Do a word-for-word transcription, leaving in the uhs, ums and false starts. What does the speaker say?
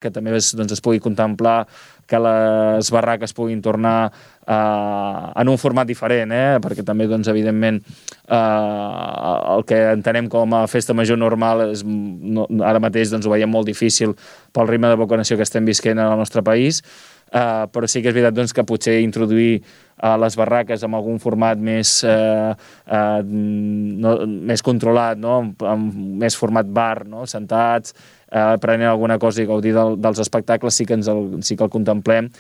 que també es, doncs, es pugui contemplar que les barraques puguin tornar eh, en un format diferent, eh? Perquè també, doncs, evidentment, eh, el que entenem com a festa major normal és, no, ara mateix doncs, ho veiem molt difícil pel ritme de vacunació que estem visquent al nostre país, eh, però sí que és veritat doncs, que potser introduir a les barraques amb algun format més, eh, eh, no, més controlat, no? amb, amb més format bar, no? Sentats, eh, prenent alguna cosa i gaudir del, dels espectacles, sí que, ens el, sí que el contemplem,